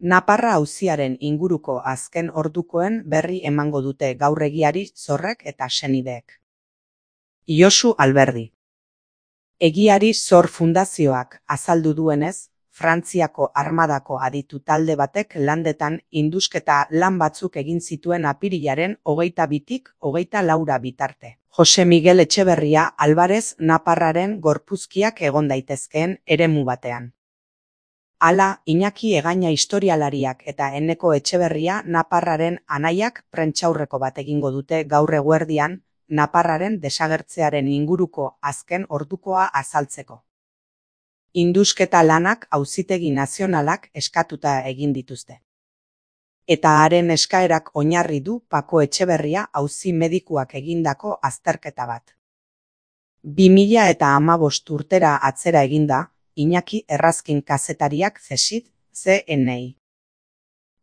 Naparra auziaren inguruko azken ordukoen berri emango dute gaur Egiari Zorrek eta senideek. Josu Alberdi. Egiari Zor Fundazioak azaldu duenez, Frantziako armadako aditu talde batek landetan indusketa lan batzuk egin zituen apirilaren 22tik 24 bitarte. Jose Miguel Etxeberria Alvarez Naparraren gorpuzkiak egon daitezkeen eremu batean. Hala, Iñaki Egaña historialariak eta Eneko Etxeberria Naparraren anaiak prentsaurreko bat egingo dute gaur eguerdian, Naparraren desagertzearen inguruko azken ordukoa azaltzeko. Indusketa lanak Auzitegi Nazionalak eskatuta egin dituzte. Eta haren eskaerak oinarri du Pako Etxeberria auzi medikuak egindako azterketa bat. 2015 urtera atzera eginda, Iñaki Errazkin kazetariak CSID, CNI.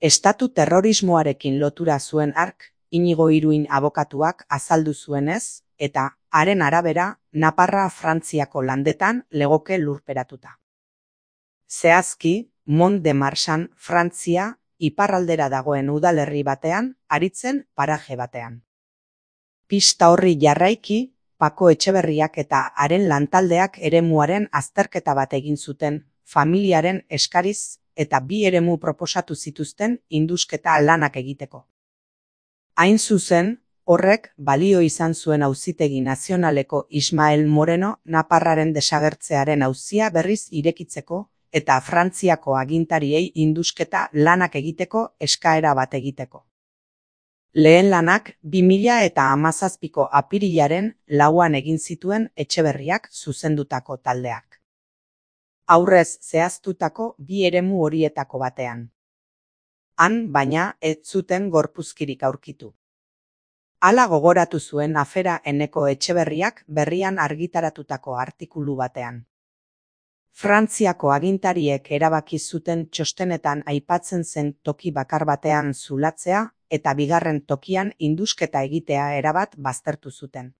Estatu terrorismoarekin lotura zuen hark, Inigo Iruin abokatuak azaldu zuenez, eta haren arabera, Naparra Frantziako landetan legoke lurperatuta. Zehazki, Mont de Marsan, Frantzia, iparraldera dagoen udalerri batean, aritzen paraje batean. Pista horri jarraiki, Pako Etxeberriak eta haren lantaldeak eremuaren azterketa bat egin zuten, familiaren eskariz eta 2 eremu proposatu zituzten indusketa lanak egiteko. Hain zuzen, horrek balio izan zuen Auzitegi Nazionaleko Ismael Moreno Naparraren desagertzearen auzia berriz irekitzeko eta Frantziako agintariei indusketa lanak egiteko eskaera bat egiteko. Lehen lanak 2017ko apirilaren 4an egin zituen Etxeberriak zuzendutako taldeak. Aurrez zehaztutako 2 eremu horietako batean. Han, baina, ez zuten gorpuzkirik aurkitu. Hala gogoratu zuen afera Eneko Etxeberriak berrian argitaratutako artikulu batean. Frantziako agintariek erabaki zuten txostenetan aipatzen zen toki bakar batean zulatzea eta bigarren tokian indusketa egitea erabat baztertu zuten.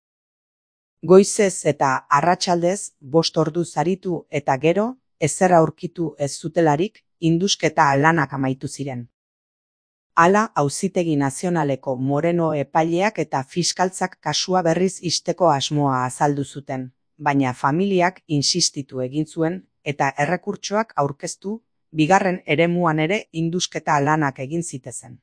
Goizez eta arratsaldez 5 orduz aritu eta gero, ezer aurkitu ez zutelarik, indusketa lanak amaitu ziren. Hala, Auzitegi Nazionaleko Moreno epaileak eta fiskaltzak kasua berriz ixteko asmoa azaldu zuten, baina familiak insistitu egin zuen eta errekurtsoak aurkeztu, bigarren eremuan ere indusketa lanak egin zitezen.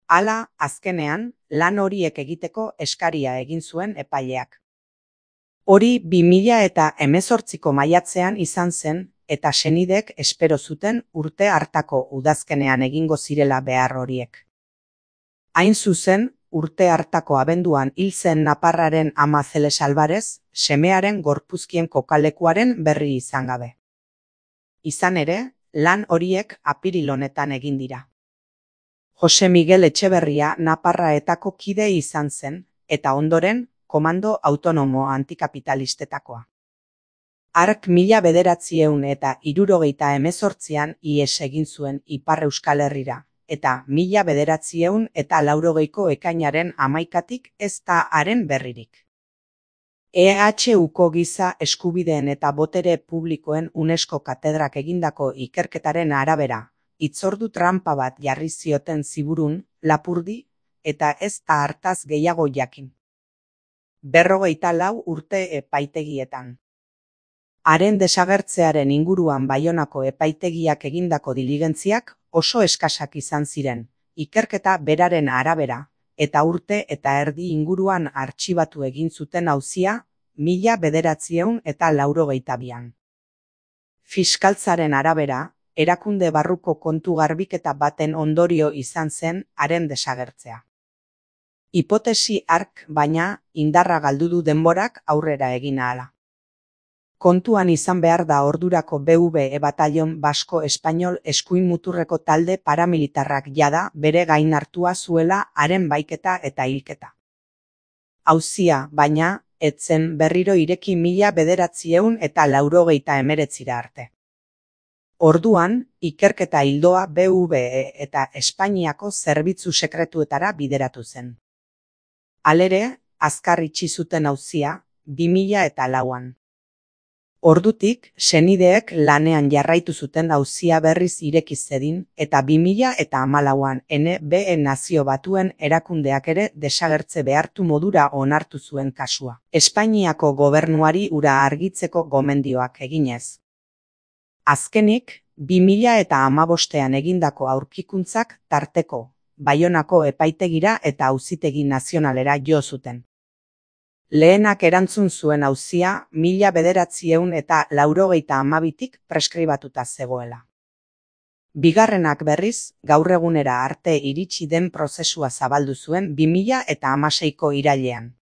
Hala, azkenean, lan horiek egiteko eskaria egin zuen epaileak. Hori 2018ko maiatzean izan zen, eta senidek espero zuten urte hartako udazkenean egingo zirela behar horiek. Hain zuzen, urte hartako abenduan hil zen Naparraren ama Zeles Alvarez, semearen gorpuzkien kokalekuaren berri izan gabe. Izan ere, lan horiek apiril honetan egin dira. Jose Miguel Etxeberria Naparraetako kide izan zen, eta ondoren, Komando Autonomo Antikapitalistetako. Hark 1978an ihes egin zuen Ipar Euskal Herrira, eta 1980ko ekainaren 11tik ez da haren berririk. EHUko giza eskubideen eta botere publikoen UNESCO katedrak egindako ikerketaren arabera, hitzordu tranpa bat jarri zioten Ziburun, Lapurdi, eta ez da hartaz gehiago jakin. 54 urte epaitegietan. Haren desagertzearen inguruan Baionako epaitegiak egindako diligentziak oso eskasak izan ziren, ikerketa beraren arabera, eta urte eta erdi inguruan artxibatu egin zuten auzia 1982an. Fiskaltzaren arabera, erakunde barruko kontu garbiketa baten ondorio izan zen haren desagertzea. Hipotesi hark, baina, indarra galdu du denborak aurrera egin ahala. Kontuan izan behar da ordurako BVE Batallon Basko Espainol eskuin muturreko talde paramilitarrak jada bere gain hartua zuela haren baiketa eta hilketa. Auzia, baina, ez zen berriro ireki 1989 arte. Orduan, ikerketa ildoa BVE eta Espainiako zerbitzu sekretuetara bideratu zen. Halere, azkar itxi zuten auzia, 2004an. Ordutik, senideek lanean jarraitu zuten auzia berriz ireki zedin eta 2014an NBE Nazio Batuen erakundeak ere desagertze behartu modura onartu zuen kasua. Espainiako gobernuari hura argitzeko gomendioak eginez. Azkenik, 2015an egindako aurkikuntzak tarteko, Baionako epaitegira eta auzitegi nazionalera jo zuten. Lehenak erantzun zuen auzia 1992tik preskribatuta zegoela. Bigarrenak berriz, gaur egunera arte iritsi den prozesua zabaldu zuen 2016ko irailean.